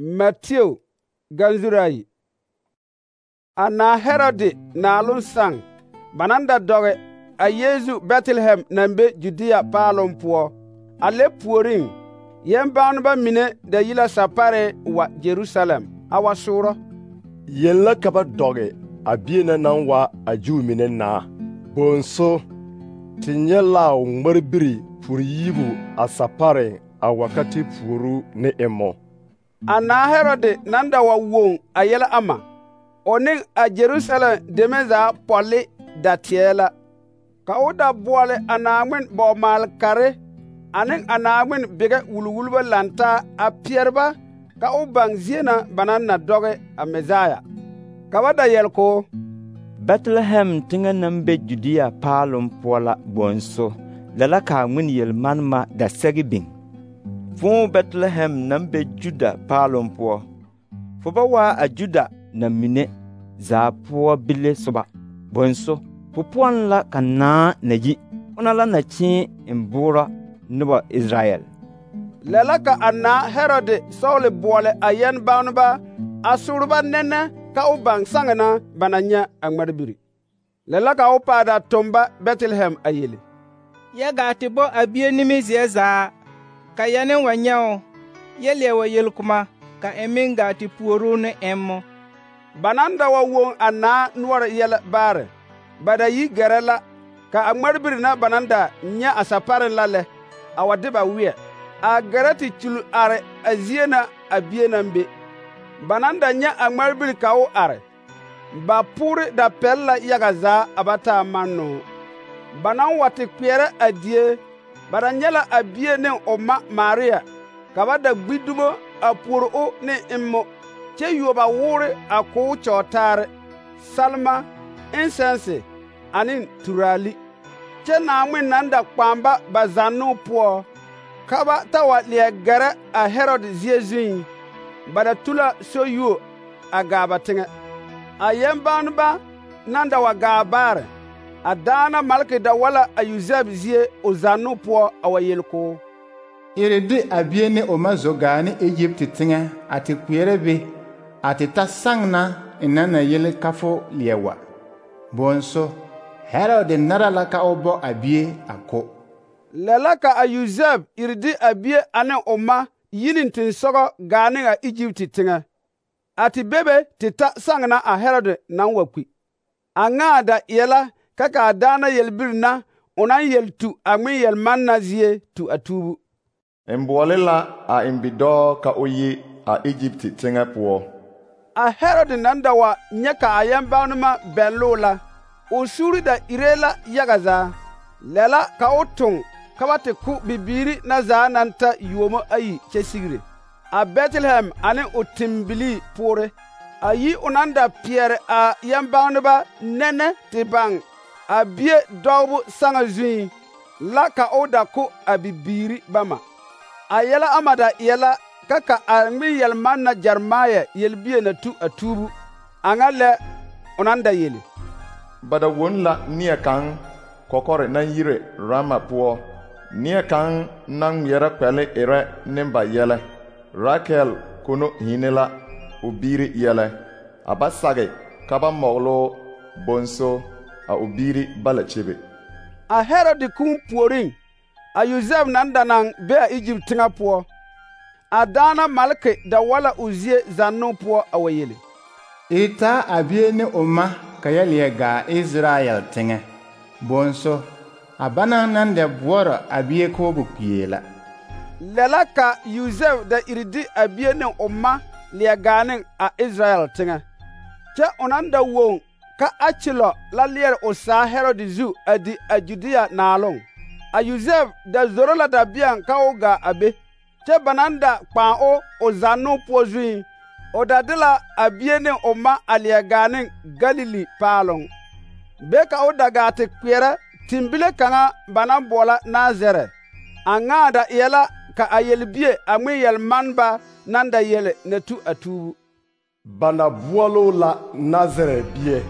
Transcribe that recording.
Matthew ganzurayi. Ana Herode naalun sang banan da doge a Yesu Bethlehem nan be Judea paalon puo. A le puorin yɛmbaaneba mine da yi la sapare wa Jerusalem a wa sooro. Yɛn la ka ba dɔge a bie na naŋ wa a Juu mine naa. Bonso, te nyɛ la a ŋmarbiri puri yibu a sapare a wakati puoru ne emmo. Ana Herode nan da wa woŋ a yɛlɛ ama, o ne a Jerusalem deme zaa pɔlli da teɛ la. Ka o da boɔle a Naawŋmen bɔg-maal-kare ane a Naawŋmen bigɛ wulwulbɔ lantaa a peɛre ba ka o baŋ zie na ba naŋ na dɔge a Mesaya. Ka ba da yɛl k'o: Bethlehem teŋɛ naŋ be Judea paaloŋ poɔ la bonso, lɛ la k'a ŋmene yel-manema da sɛge biŋ. Fõõ Bethlehem naŋ be Juda paaloŋ poɔ, fo ba waa a Juda na mine zaa poɔ bile soba. Bonso, fo poɔŋ la ka naa na yi, ona la na kyeem en boorɔ noba Israyɛl. Lɛ la ka a naa Herode sɔgle boɔle a yɛnbaaneba a sooreba nɛnɛ ka o baŋ saŋe na ba na nyɛ a ŋmarbiri. Lɛ la ka o paa da tomba Bethlehem a yele: Yɛ gaa te bɔ a bie nimizeɛ zaa, ka yɛ ne wa nyɛ o, yɛ leɛ wa yelkoma, ka e meŋ gaa te puoru ne emmo. Ba nan da wa woŋ a naa noɔre yɛlɛ baare, ba da yi gɛrɛ la ka a ŋmarbiri na ba nan da nyɛ a saparen la lɛ, a wa de ba weɛ, a gɛrɛ te kyul are a zie na a bie naŋ be. Ba nan da nyɛ a ŋmarbiri ka o are, ba poore da pɛl la yaga zaa a ba taa mannoo. Ba nan wa te kpeɛrɛ a die, ba da nyɛ la a bie ne o ma Maria, ka ba da gbi dumo a puori o ne emmo, kyɛ yuo ba woore a k'o kyɔɔtaare, salma, incense ane turali. Kyɛ Naawŋmen nan da kpãã ba zannoo poɔ, ka ba ta wa leɛ gɛrɛ a Herode zie zuŋ, ba da tu la soyuo a gaa ba teŋɛ. A yɛnbaaneba nan da wa gaa baare, a daana malke da wala a Yosɛf zie o zannoo poɔ a wa yel k'o: Iri de a bie ne o ma zo gaa ne Egypte teŋɛ a te kpeɛrɛ be a te ta saŋ na ina na yele ka fo leɛ wa. Bonso, Herode nara la ka o bɔ a bie a ko. Lɛ la ka a Yosɛf iri de a bie ane o ma yini tensɔgɔ gaa ne a Egypte teŋɛ. A te bebe te ta saŋ na a Herode naŋ wa kpi. A ŋaa da eɛ la ka a daana yelbiri na o naŋ yel tu a ŋmen yel-man na zie tu a tuubu. En boɔle la a en bidɔɔ ka o yi a Egypte teŋɛ poɔ. A Herode nan da wa nyɛ ka a yɛnbaanema bɛlloo la, o suuri da iree la yaga zaa. Lɛ la ka o toŋ ka ba te ko bibiiri na zaa naŋ ta yuomo ayi kyɛ sigire, a Bethlehem ane o timbilii poore. A yi o nan da peɛre a yɛnbaaneba nɛnɛ te baŋ a bie dɔgebo saŋa zuŋ, la ka o da ko a bibiiri bama. A yɛlɛ ama da eɛ la ka a ŋmen yel-man na Jeremia yelbie na tu a tuubu, a ŋa lɛ o nan da yele: Ba da won la neɛ kaŋ kɔkɔre naŋ yire Rama poɔ, neɛ kaŋ naŋ ŋmeɛrɛ kpɛle erɛ ne ba yɛlɛ. Rakel kono hiine la o biiri yɛlɛ, a ba sage ka ba mɔglo bonso a o biiri bala kyebe. A Herode kũũ puoriŋ, a Yosɛf nan da naŋ be a Egypte teŋɛ poɔ, a daana malke da wala o zie zannoo poɔ a wa yele: Iri taa a bie ne o ma ka yɛ leɛ gaa Israyɛl teŋɛ. Bonso, a banaŋ nan da boɔrɔ a bie k'o bu kpie la. Lɛ la ka Yosɛf da iri de a bie ne o ma leɛ gaa ne a Israyɛl teŋɛ. Kyɛ o nan da woŋ ka Akilɔ la leɛre o saa Herode zu a di a Judea naaloŋ. A Yosɛf da zoro la dabeɛŋ ka o gaa a be, kyɛ ba nan da kpãã o zannoo poɔ zuŋ, o da de la a bie ne o ma a leɛ gaa ne Galili paaloŋ. Be ka o da gaa te kpeɛrɛ timbile kaŋa ba naŋ boɔla Nazarɛ. A ŋaa da eɛ la ka a yelbie a ŋmen yel-maneba nan da yele na tu a tuubu. Ba na boɔloo la Nazarɛ bie.